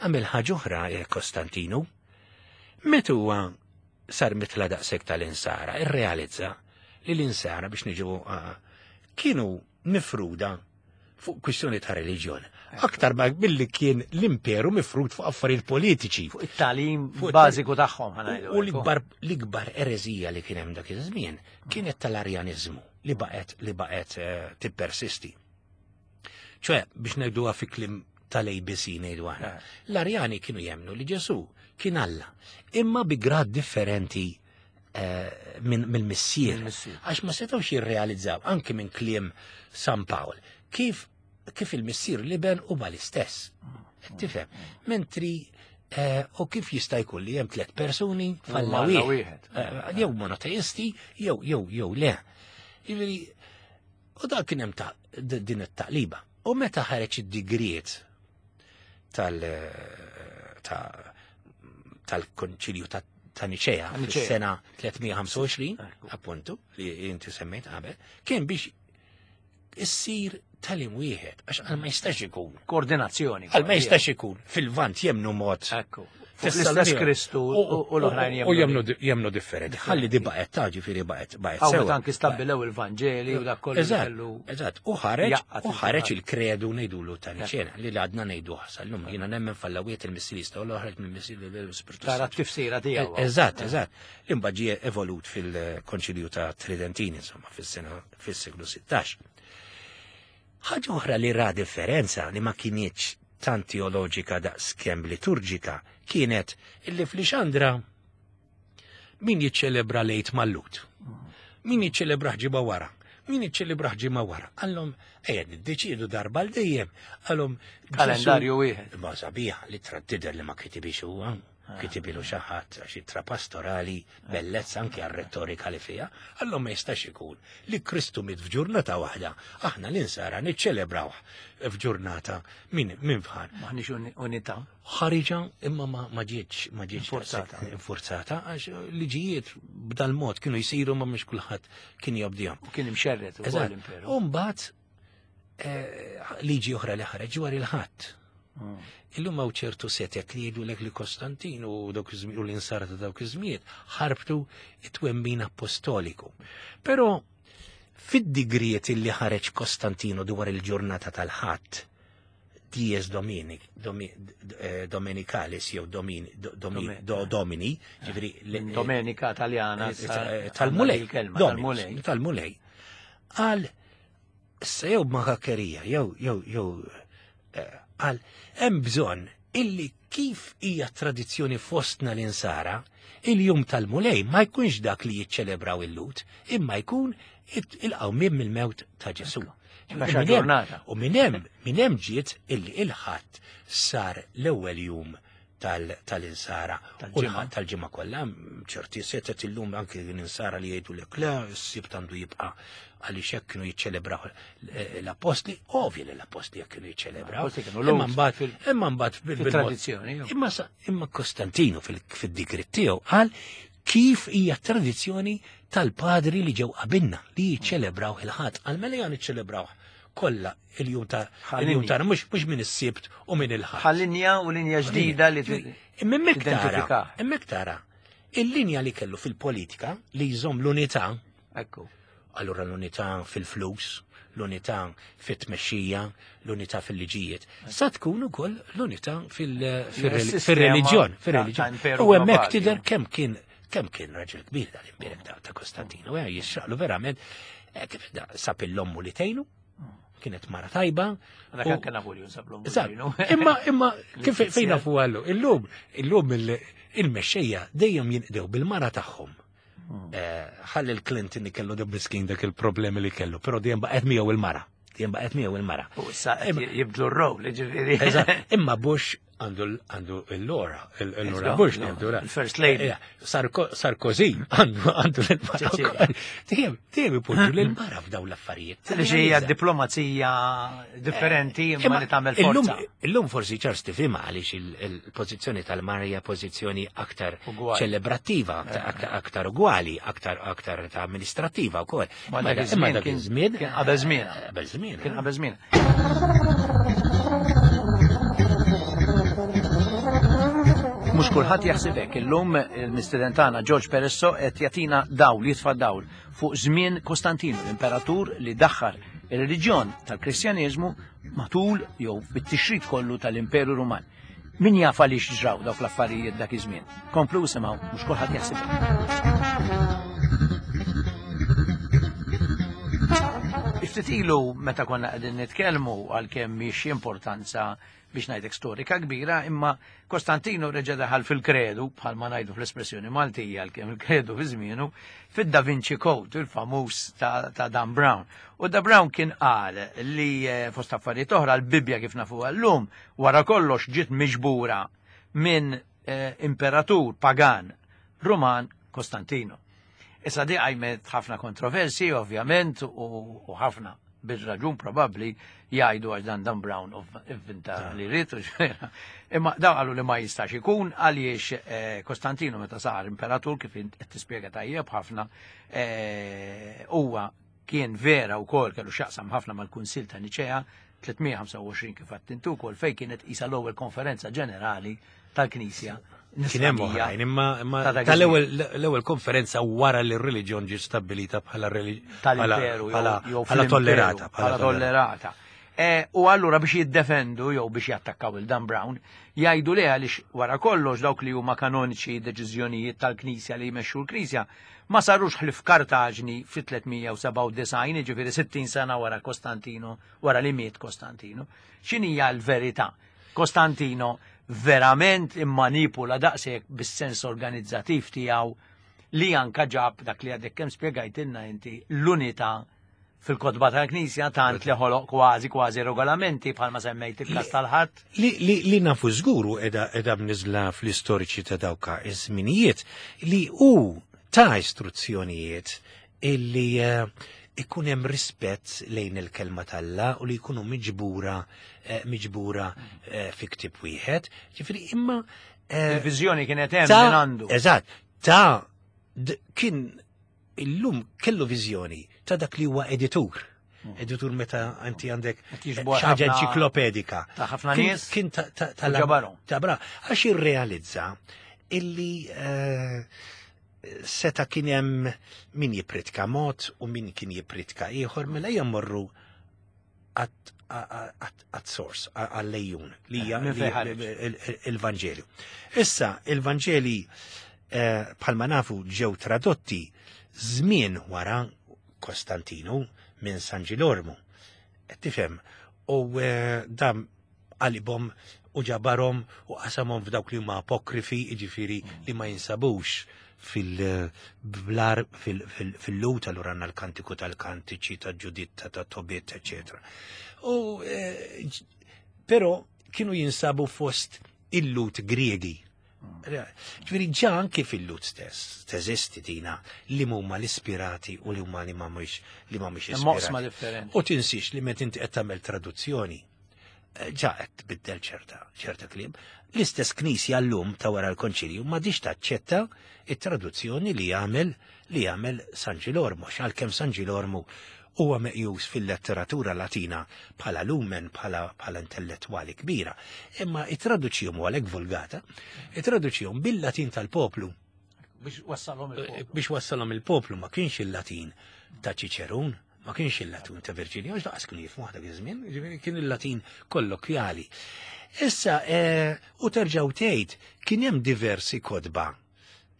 Għamel ħaġa oħra Kostantinu. Meta huwa sar mitla daqshekk tal-insara, irrealizza li l-insara biex niġu kienu mifruda fuq kwistjoni ta' reliġjon. Aktar ma billi kien l-imperu mifrut fuq affarijiet politiċi. Fuq it-tagħlim bażiku tagħhom ħanajdu. U l-ikbar l-ikbar ereżija li kien hemm dak iż-żmien kienet tal-Arjaniżmu li baqgħet li baqgħet eh, tippersisti. ċoè biex ngħiduha fi kliem tal-ABC ngħidu aħna. Eh. L-Arjani kienu jemnu li Ġesù kien Alla, imma bi grad differenti eh, mill-missier. Għax ma setgħux jirrealizzaw anki minn kliem San Pawl kif kif il-missier liben u l-istess. Tifhem, mentri eh, u kif jista' jkun li hemm tliet persuni falla wieħed. Jew monoteisti, jew jew jew le. Jiġifieri U dak kien hemm ta' din it-taqliba. U meta ħareġ id-digriet tal tal-konċilju ta' Niċea fis-sena 325, appuntu, li inti semmejt qabel, kien biex issir talim wieħed, għax għal ma jistax ikun. Koordinazzjoni. Għal ma jistax ikun. Fil-vant jemnu mod. Ekku. L-istess Kristu u l-oħrajn jemnu. U jemnu differenti. Ħalli di baqet ta' ġifieri baqet baqet. Hawn anki stabbilew il-Vanġeli u dak kollu. Eżatt, u ħareġ u ħareġ il-kredu ngħidulu ta' Niċena li għadna ngħidu sal-lum jiena nemmen fallawiet il-missirista u l-oħra mill-missir l-Ispirtu. Tara t-tifsira tiegħu. Eżatt, eżatt. Imbagħad ġie evolut fil-Konċilju ta' Tridentini insomma fis-sena fis-seklu 16. Ħaġa oħra li ra differenza li ma kinitx tant teoloġika daqs kemm liturġika kienet illi f'Lixandra min jiċċelebra lejt mal-Lut, min jiċċelebra ħġiba wara, min jiċċelebra ħġimgħa wara. Għallhom ejja niddeċiedu darba l dejjem, għallhom kalendarju wieħed. Ma sabiħ li tidher li ma kitibix huwa. Kitibilu xi ħadd għax ittra pastorali bellezza anke għar-rettorika li fiha, allura ma jistax ikun li Kristu miet f'ġurnata waħda, aħna l-insara niċċelebrawh f'ġurnata minn min fħan. Maħniex unità. Ħariġa imma ma ġietx ma ġietx infurzata għax liġijiet b'dal-mod kienu jsiru ma mhux kulħadd kien jobdihom. U kien imxerred ukoll l-imperu. U mbagħad eh, liġi oħra li ħareġ dwar il-ħadd. Mm. Illum hawn ċertu setet li jgħidulek li Kostantin u dawk u l-insara ta' dawk iż-żmiet ħarbtu it-twemmin apostoliku. Però fid-digriet li ħareġ Kostantinu dwar il-ġurnata tal-ħadd, dies dominic, domi, eh, dominicalis jew domini, domini, do, domini, ġifiri. Domenica taljana. Eh, tal-mulej. Tal-mulej. Tal-mulej. Għal Issa jew b'makakkerija, jew jew jew eh, għal hemm bżonn illi kif hija tradizzjoni fostna l-insara, il-jum tal-mulej ma jkunx dak li jiċċelebraw il-lut, imma jkun il-qawmien mill-mewt ta' Ġesu. U minn hemm minn hemm ġiet illi il-ħadd sar l-ewwel jum tal-insara. Tal-ġimgħa. Tal-ġimgħa kollha, ċerti setet illum anki l-insara li jgħidu lek le, s-sibt għandu jibqa' għaliex hekk kienu jiċċelebraw l-appostli, ovvja li l-appostli jekk kienu jiċċelebraw. Imma mbagħad imma mbagħad fil-tradizzjoni. Imma imma Kostantinu fil-digrit tiegħu qal kif hija tradizzjoni tal-padri li ġew qabilna li jiċċelebraw il-ħadd. Għal mela jan iċċelebraw kollha il-jum ta' il-jum tagħna mhux mhux minn is-sibt u minn il-ħadd. Ħal-linja u linja ġdida li Imma hemmhekk tara, hemmhekk tara il-linja li kellu fil-politika li jżomm l-unità. Ekku. Allura l-unità fil-flus, l-unità fit-tmexxija, l-unità fil-liġijiet. Sa tkun ukoll l-unità fil-reliġjon, fil-reliġjon. U hemmhekk tidher kemm kien kemm kien raġel kbir dal-imbierek ta' Kostantino, eh, jixraqlu verament eh, kif sab il-lommu li tgħinu, kienet mara tajba. Dak anke Napoleon sab l-ommu. Imma imma kif fejn nafu għallu, illum illum il-mexxejja dejjem jinqdew bil-mara tagħhom. Hmm. Eh, ħalli l-Clinton li kellu miskin dak il-problemi li kellu, però dejjem baqgħet miegħu il-mara. Dejjem baqgħet miegħu il-mara. U issa jibdlu r-rowl, ġifieri. Imma Bush għandu l-Lora, l-Lora Bush għandu First Lady. Eh, Sarkozy għandu għandu l-mara. Tijem, tijem ipoġġu l-mara f'daw l-affarijiet. Li hija diplomazija differenti eh, imma li tagħmel forza. Illum forsi ċars tifhimha għaliex il-pożizzjoni tal-mara hija pożizzjoni aktar ċelebrattiva, eh. aktar ugwali, aktar aktar ta' amministrattiva wkoll. Ma dak iż-żmien kien qabel żmien. Qabel żmien. Kien qabel żmien. Mhux kulħadd jaħseb hekk. Illum il-mistieden tagħna George Peresso qed jagħtina dawl, jitfa' dawl fuq żmien Kostantinu, l-imperatur li daħħal Ir-reliġjon tal-Kristjaneżmu matul jew bit-tixrid kollu tal-Imperu Ruman. Min jaf għaliex ġraw dawk l-affarijiet dak iż-żmien. Komplu isimgħu mhux kulħadd jaħseb. Ftit ilu meta konna qegħdin nitkellmu għalkemm mhix importanza biex ngħidlek storika kbira, imma Kostantino reġa' daħal fil-kredu, bħalma ngħidu fl-espressjoni Maltija għalkemm il-kredu fi żmienu, fid-Da Vinci Code, il-famuż ta', ta Dan Brown. U Da Brown kien qal li eh, fost affarijiet oħra l-Bibbja kif nafuha llum wara kollox ġiet miġbura minn eh, imperatur pagan Ruman Kostantino. Issa di għajmet ħafna kontroversi, ovvjament, u ħafna bir-raġun probabbli jgħidu għax dan Dan Brown ivvinta ah. li rrid Imma dawn qalu li ma jistax ikun għaliex eh, Kostantino meta sar imperatur kif qed tispjega tajjeb ħafna eh, huwa kien vera wkoll kellu x'jaqsam ħafna mal-Kunsill ta' Niċea 325 kif għattintu wkoll fejn kienet isa l-ewwel konferenza ġenerali tal-Knisja. Kien hemm oħrajn, imma tal-ewwel l-ewwel konferenza wara li r-reliġjon ġiet stabbilita bħala tal-imperu bħala tollerata. Bħala tollerata. E, u allura biex jiddefendu jew biex jattakkaw il-Dan Brown, jgħidu li għaliex wara kollox dawk li huma kanoniċi deċiżjonijiet tal-Knisja li jmexxu l-Knisja ma sarux ħlief Kartaġni fit-397, jiġifieri 60 sena wara Kostantino, wara li miet Kostantino. X'inhija l-verità? Kostantino verament immanipula daqshekk bis-sens organizzattiv tiegħu li anka ġab dak li għadek kemm spjegajtilna inti l-unità fil-kotba tal-Knisja tant li ħoloq kważi kważi regolamenti bħalma semmejt il-każ tal-ħadd. Li, li, li nafu żguru edha, edha mniżla fl-istoriċi ta' dawka iż-żminijiet li hu ta' istruzzjonijiet illi eh, ikun hemm rispett lejn il-kelma t'Alla u li jkunu miġbura eh, miġbura eh, fi ktieb wieħed. Ġifieri imma il-viżjoni kienet hemm minn għandu. Eżatt, ta' kien illum kellu viżjoni ta' dak li huwa editur. Hmm. Editur meta inti għandek ħaġa enċiklopedika. Ta' ħafna nies. Kien ta' ta' bra, għax irrealizza illi eh, seta kien hemm min jipritka mod u min kien jipritka ieħor mela jmorru għat source, għall-lejjun, li hija il-Vanġelju. Issa, il-Vanġeli eh, bħalma nafu ġew tradotti żmien wara Kostantinu minn San Ġilormu. Tifhem, u eh, dam qalibhom u ġabarhom u qasamhom f'dawk li huma apokrifi, jiġifieri li ma jinsabux fil-blar fil-lut allura għandna l-kantiku tal-kantiċi ta' Ġuditta ta' Tobit, eċetera. U eh, però kienu jinsabu fost il-lut Griegi. Ġifieri ġa anki fil-lut stess teżisti dina li huma l-ispirati u li huma li ma mhux li ma mhux ispirati. U tinsiex li meta inti qed tagħmel traduzzjoni eh, ġa qed tbiddel ċerta ċerta kliem. L-istess knisja llum ta' wara l-konċilju ma diċ taċċetta it-traduzzjoni li jagħmel li jagħmel San Ġilormu, għalkemm San Ġilormu huwa meqjus fil-letteratura Latina bħala lumen, bħala, bħala intellettwali kbira, imma it-traduċjom u għalhekk vulgata, it-traduċjom bil-Latin tal-poplu. Biex wassalhom il-poplu. Eh, biex wassalhom il-poplu ma kienx il-Latin ta' Ċiċerun, ma kienx il-Latin ta' Virġilju, għax laqas kienu jifhmu dak iż-żmien, ġifieri kien il-Latin kollokjali. Issa, eh, u terġgħu tgħid kien hemm diversi kodba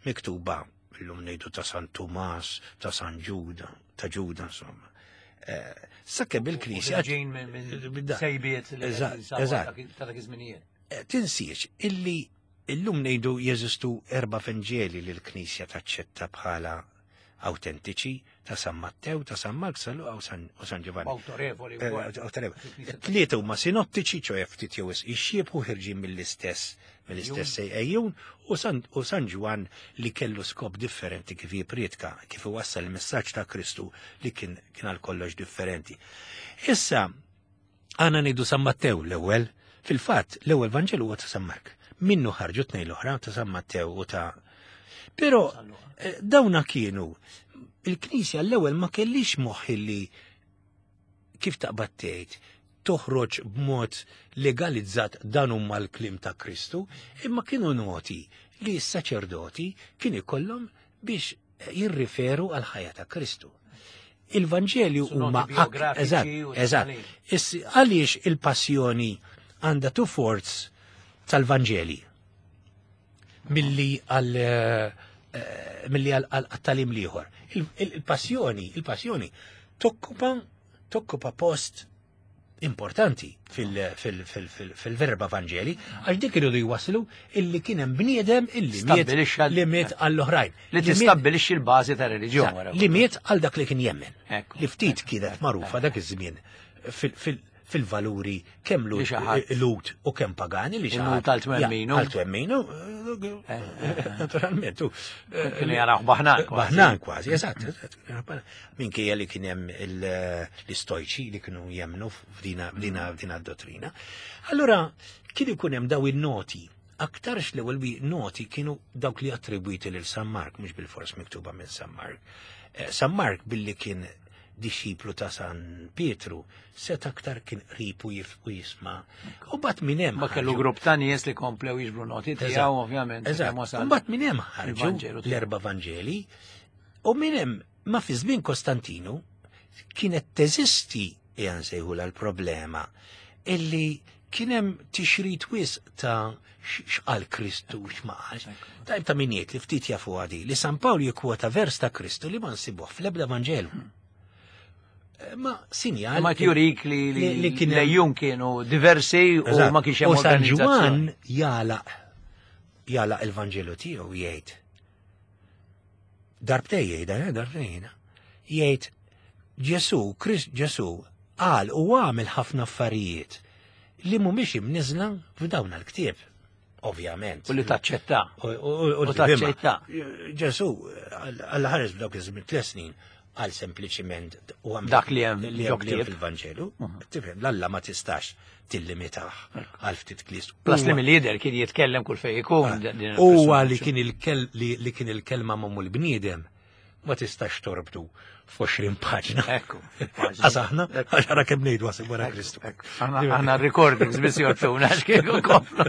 miktuba illum ngħidu ta' San Tumas, ta' San Ġuda, ta' Ġuda insomma. Eh, sakemm il-Knisja ġejn minn sejbiet li eżatt ta' dak iż-żminijiet. Eh, tinsiex illi illum ngħidu jeżistu erba' Vanġeli li l-Knisja taċċetta bħala autentiċi ta' San Mattew, ta' San Mark, San Luqa u San Ġovanni. Autorevoli. Eh, autorevoli. Tlieta huma sinottiċi, ċoħe ftit jew ixxiebħu ħirġin mill-istess mill-istess ejjun u San Ġwan li kellu skop differenti kif jipritka, kif iwassal il-messaġġ ta' Kristu li kien kien għal kollox differenti. Issa, għana ngħidu San Mattew l-ewwel, fil-fatt l-ewwel Vanġelu huwa ta' San Mark. Minnu ħarġu tnejn l-oħra ta' San Mattew u ta' Però eh, dawna kienu il-Knisja l-ewwel ma kellix moħħ li kif taqbad tgħid toħroġ b'mod legalizzat dan huma l-kliem ta' Kristu, imma kienu noti li s-saċerdoti kien ikollhom biex jirriferu għal ħajja ta' Kristu. Il-Vanġeli huma eżatt, eżatt. Għaliex il-passjoni għandha two fourths tal-Vanġeli milli għal eh, milli għal talim liħor. Il-passjoni, il-passjoni tokkupa tokkupa post importanti fil-verba Vangeli, għax dik iridu jwaslu illi kien hemm bniedem illi miet li miet għall-oħrajn. Li tistabbilixxi l-bażi ta' reliġjon. Li miet għal dak li kien jemmen. Li ftit kienet magħrufa dak iż-żmien fil-valuri kemm lut u kemm pagani li xi ħadd għal-twemminu. Għal-twemminu, eh, eh, eh. naturalment. Kienu jaraw baħnan kważi. Baħnan kważi, eżatt. Minkejja li kien hemm l-istojċi li kienu jemnu f'dina f'dina dottrina. Allura kien ikun hemm daw in-noti aktarx l-ewwel noti kienu dawk li attribwiti lil San Mark, mhux bil-fors miktuba minn San Mark. San Mark billi kien dixxiplu ta' San Pietru, set aktar kien qrib u jisma. U bat minn hemm. Ma kellu grupp ta' nies li komplew jiġbru noti tiegħu ovvjament. Eżatt. U bat minn hemm ħarġu l-erba' Vanġeli u minn hemm ma fi żmien Kostantinu kienet teżisti ejja nsejħulha l-problema illi kien hemm tixrid wisq ta' x'qal Kristu u x'ma qalx. Tajb ta' min jgħid li ftit jafu għadi li San Pawl jikkwota vers ta' Kristu li ma nsibuh fl-ebda Vanġelu. Eh, ma sinjal. Ma jurik li li kien lejjun kienu diversi u ma kienx hemm U San Ġwann jalaq jalaq il-Vanġelu tiegħu jgħid. Darbtej jgħidha, eh, darbtej jgħidha. Jgħid Ġesu, Krist Ġesu qal u għamel ħafna affarijiet li mhumiex imniżla f'dawn l-ktieb. Ovvjament. U li taċċetta. U taċċetta. Ġesu, għalla ħares b'dawk iż-żmien tliet snin, għal sempliċiment u għam dak li hemm li hemm fil-Vanġelu, mhm. tifhem l-Alla ma tistax tillimitah għal ftit klist. Plus li mill-lider kien jitkellem kull fejn ikun. Ah, huwa li kien li kien il-kelma mamul bniedem ma tistax torbtu f'20 paġna. Ekku. Għax aħna, għax għara kemm ngħidu għasib wara Kristu. Aħna recordings biss jorbtuna għax kieku komplu.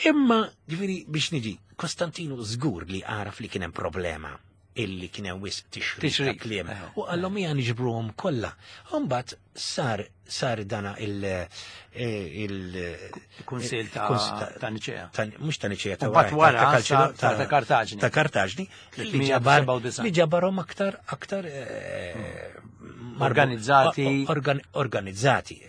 Imma, ġifieri biex niġi, Kostantinu żgur li għaraf li kien hemm problema illi kien hemm wisq tixrid kliem. Eh. U qallhom hija niġbruhom kollha. Imbagħad sar sar dana il eh, il Kunsil ta' Niċea. Mhux ta' Niċea ta' wara ta' Kartaġni. Ta' Kartaġni li ġabar li ġabarhom aktar aktar eh, organizzati organizzati.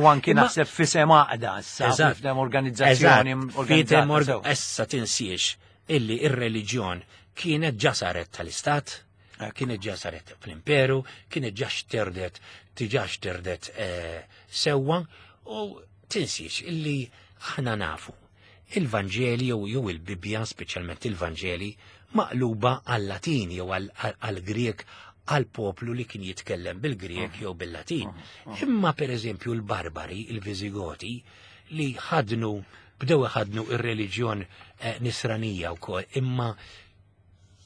U anki naħseb fisem għaqda issa, f'dem organizzazzjoni organizzata. Issa tinsiex illi ir-reliġjon kienet ġa saret tal-istat, kienet ġa saret fl-imperu, kienet ġa xterdet, tiġa xterdet eh, sewwa u tinsiex illi aħna nafu il-Vanġeli jew jew il-Bibbja, speċjalment il-Vanġeli, maqluba għal-Latin jew għal-Grieg għal poplu li kien jitkellem bil-Grieg jew bil-Latin. Imma per eżempju l-Barbari, il-Viżigoti, li ħadnu bdew iħadnu ir-reliġjon eh, nisranija wkoll, imma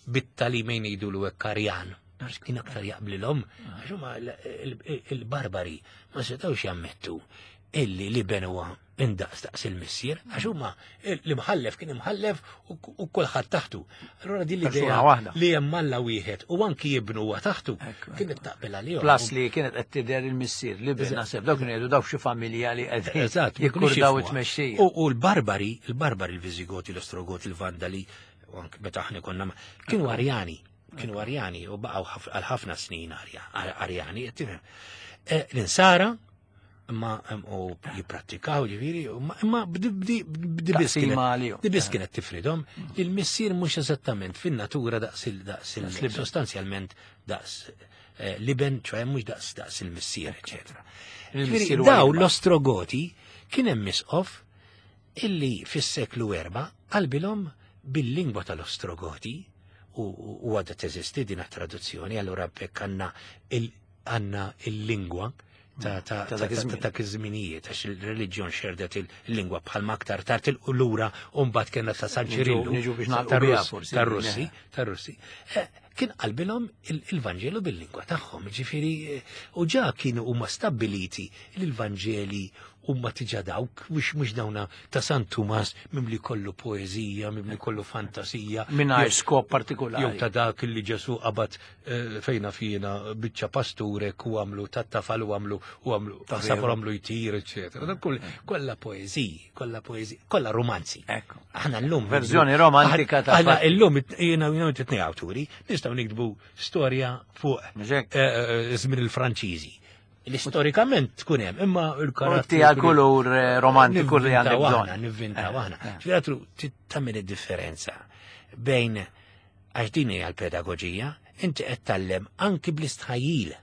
bit-talimejn jgħidulu hekk Arjan, għax kien aktar jaqblilhom, għax huma il-barbari ma setgħux jammettu illi li ben huwa indaqs daqs il-missier, għax huma l-imħallef kien imħallef u kulħadd taħtu. Allura din l-idea li hemm Alla wieħed u anki jibnu huwa taħtu kienet taqbel għalihom. Plus li kienet qed tidher il-missier li bin naħseb dawk kienu jgħidu dawk xi familja li qegħdin Eżatt, jikkurdaw it-tmexxija. U l-barbari, il-barbari, il-Viżigoti, l-Ostrogoti, il-Vandali, u anke meta aħna konna kienu Arjani, kienu Arjani u baqgħu għal ħafna snin Arjani, tifhem. Eh, l-insara imma u jipprattikaw ġifieri, imma b'di biss kienet tifridhom li l-missier mhux eżattament fin-natura daqs il-daqs sostanzjalment daqs eh, liben, ċoħe mhux daqs daqs il-missier, eċetera. Daw l-Ostrogoti kien hemm misqof illi fis-seklu 4 qalbilhom bil-lingwa tal-Ostrogoti u għadha teżisti din traduzzjoni, allura bekk għandna il-lingwa ta' dak iż-żminijiet għax il-reliġjon xerdet il-lingwa bħalma aktar tard il-lura u mbagħad kellna ta' San Ċirillu tar-Russi, tar-Russi. Eh, kien qalbilhom il-Vanġelu bil-lingwa tagħhom, ġifieri eh, u ġa kienu huma stabbiliti li l-Vanġeli huma tiġa dawk, mhux mhux dawna ta' San Tumas mimli kollu poeżija, mimli kollu fantasija. Mingħajr skop partikolari. Jew ta' dak li Ġesu qabad eh, fejna fina biċċa pasturek u għamlu ta' tafal u għamlu u għamlu ta' safar għamlu jtir, eċetera. Dan kull kollha poeżiji, kollha poeżiji, kollha romanzi. Ekku. Aħna llum verżjoni romantika ta' Aħna llum jiena jiena titnej awturi, nistgħu nikdbu storja fuq eh, eh, żmien il-Franċiżi li storikament tkun hemm, imma l-karattru. Tija kulur eh, romantiku li għandek bżonn. Nivvintaw eh, aħna. Eh. Ġifieri tagħmel id-differenza bejn għax din hija l-pedagoġija, inti qed tallem anki bl-istħajjil.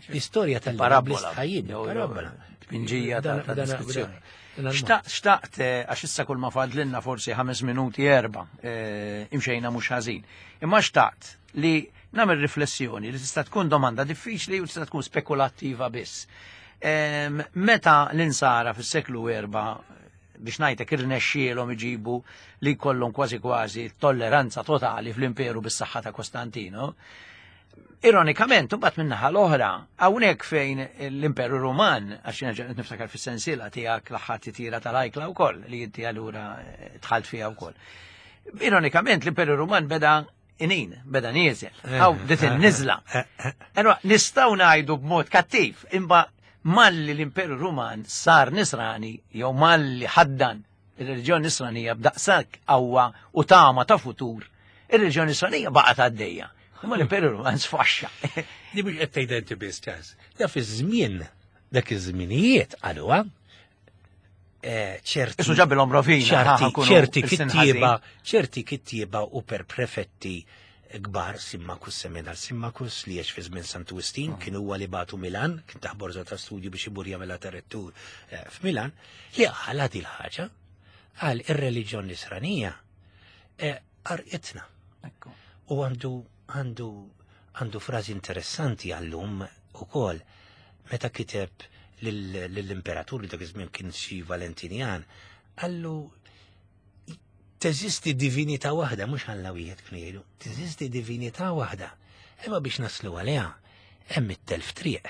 L-istorja tal bl-istħajjil, parabola. Tpinġija ta' diskussjoni. Xtaqt, għax issa kull ma fadlinna forsi ħames minuti erba, imxejna mhux ħażin. Imma xtaqt li nagħmel riflessjoni li tista' tkun domanda diffiċli u tista' tkun spekulattiva biss. Meta l-insara fis-seklu erba' biex ngħidlek irnexxielhom iġibu li jkollhom kważi kważi tolleranza totali fl-imperu bis-saħħa ta' Kostantino, Ironikament, mbagħad min-naħa l-oħra, hawnhekk fejn l-Imperu Ruman, għax jiena niftakar fis-sensiela tiegħek l-aħħar titira tal-ajkla wkoll li inti allura eh, dħalt fiha wkoll. Ironikament, l-Imperu Ruman beda inin, beda nieżel, għaw eh, dit in-niżla. Eh, Allora, nistgħu ngħidu b'mod kattiv, imma malli l-Imperu Ruman sar nisrani jew malli ħaddan ir-reliġjon nisranija b'daqshekk qawwa u tama ta' futur, ir-reliġjon nisranija baqgħet għaddejja. Imma l-Imperu Ruman sfaxxa. Di mhux qed tgħid inti biss ċans. Da fi żmien dak iż-żminijiet qaluha eh, ċerti. Isu ġabilhom rovina. Ċerti kittieba, ċerti kittieba u per prefetti kbar Simmakus Semenal Simmakus li għex fi żmien Santu Wistin mm. kien huwa li batu Milan, kien taħ borża ta' studju biex imur jagħmilha ta' rettur eh, f'Milan, li qala din ħaġa qal ir-reliġjon nisranija eh, qarqitna. U għandu għandu għandu frażi interessanti għallum ukoll meta kiteb lill-imperatur li dak iż-żmien kien xi Valentinjan, qallu teżisti divinità waħda, mhux Alla wieħed kienu jgħidu, teżisti divinità waħda. Imma biex naslu għaliha hemm it-telf triq.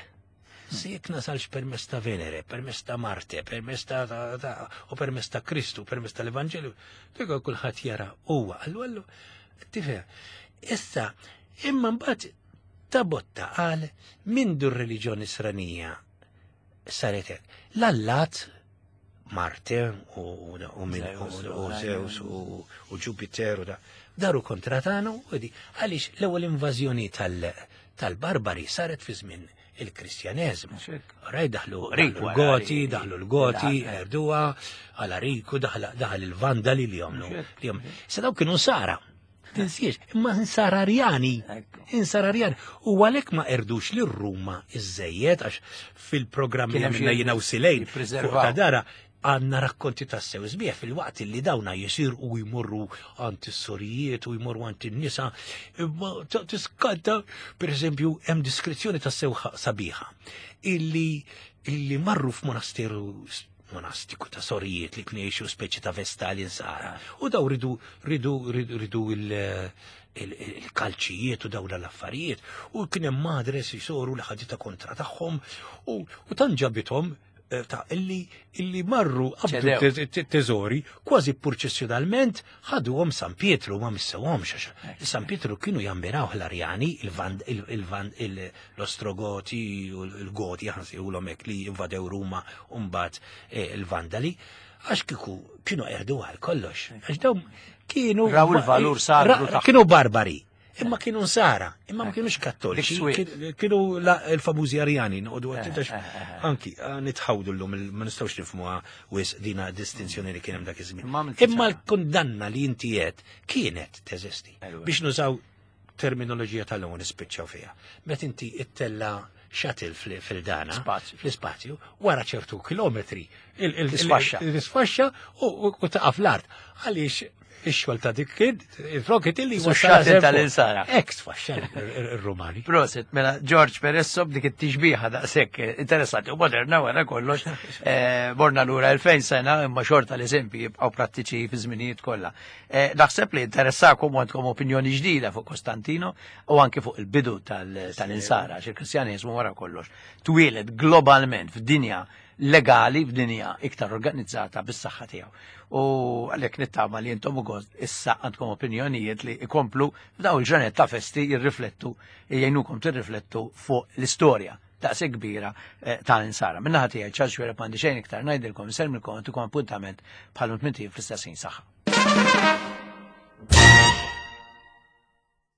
Se jekk nasalx permezz ta' Venere, permezz ta' Marte, permezz ta' u permezz ta' Kristu, permezz tal-Evanġelju, dik kulħadd jara huwa għallu għallu tifhem. Issa, imma mbagħad ta' botta qal mindu r-reliġjon Nisranija saret hekk. L-allat Marte u Zeus u Jupiter u da. Daru kontra tagħna u di għaliex l-ewwel invażjoni tal-barbari saret fi żmien il-Kristjaneżmu. Raj daħlu l-Goti, daħlu l-Goti, erduha, Alariku, daħal il-Vandali li jomlu. Se daw kienu sara. Tinsiex, imma insararjani. Insararjani. U għalhekk ma erdux li Ruma iżejjed għax fil-programm li għamilna jiena u Silejn ta' dara għanna rakkonti ta' sew sbieħ fil-waqt li dawna jisir u jmorru għand is-sorijiet u jmorru għand in-nisa. Imma tiskanta, per eżempju, hemm diskrizzjoni ta' sew sabiħa illi illi marru f'monasteru monastiku ta' sorijiet li kienu jgħixu speċi ta' vestali nsara. U daw ridu ridu ridu il-kalċijiet u dawn l-affarijiet u kien hemm madres jisoru li ħadita kontra tagħhom u tan ġabithom eh, ta' illi illi marru qabdu teżori kważi purċessjonalment ħaduhom San Pietru ma missewhomx għax San Pietru kienu jammiraw l-Arjani, l-Ostrogoti u l-Goti ħansejħulhom hekk li invadew Ruma u mbagħad eh, il-Vandali għax kiku kienu erdu għal kollox. Għax dawn kienu. Raw il-valur sagru Kienu barbari. Imma kienu nsara, imma ma kienux kattoliċi, kienu l-famużi arjani, noqogħdu għattitax eh, eh, eh, anki nitħawdu llum ma nistgħux nifhmuha wis dina distinzjoni li kien hemm dak iż-żmien. Imma l-kundanna li inti qed kienet teżisti. Biex nużaw terminoloġija tal-lum nispiċċaw fiha. Meta inti ittella shuttle fil-dana, fl-ispazju, wara ċertu kilometri, il-sfaxxa u taqaf l-art. Għaliex ix-xogħol ta' dik kien il-rocket illi wassal tal-insara. Ek sfaxxa ir-Rumani. Proset, mela George Peresso b'dik it-tixbiħa daqshekk interessanti u moderna wara kollox. Eh, borna lura 2000 sena imma xorta l-eżempji jibqgħu prattiċi fi żminijiet kollha. Eh, naħseb li interessakom u għandkom opinjoni ġdida fuq Kostantino u anke fuq il-bidu tal-insara, għax il-Kristjaneżmu wara kollox twieled globalment f'dinja legali f'dinja iktar organizzata bis-saħħa tiegħu. U għalhekk nittama li intom ukoll issa għandkom opinjonijiet li ikomplu f'daw il-ġranet ta' festi jirriflettu, jgħinukom tirriflettu fuq l-istorja daqshekk kbira eh, ta' insara. Minna ħati tiegħi ċarġ wera m'għandi xejn iktar ngħidilkom, insellmilkom għantukom appuntament bħal fl-istess ħin saħħa.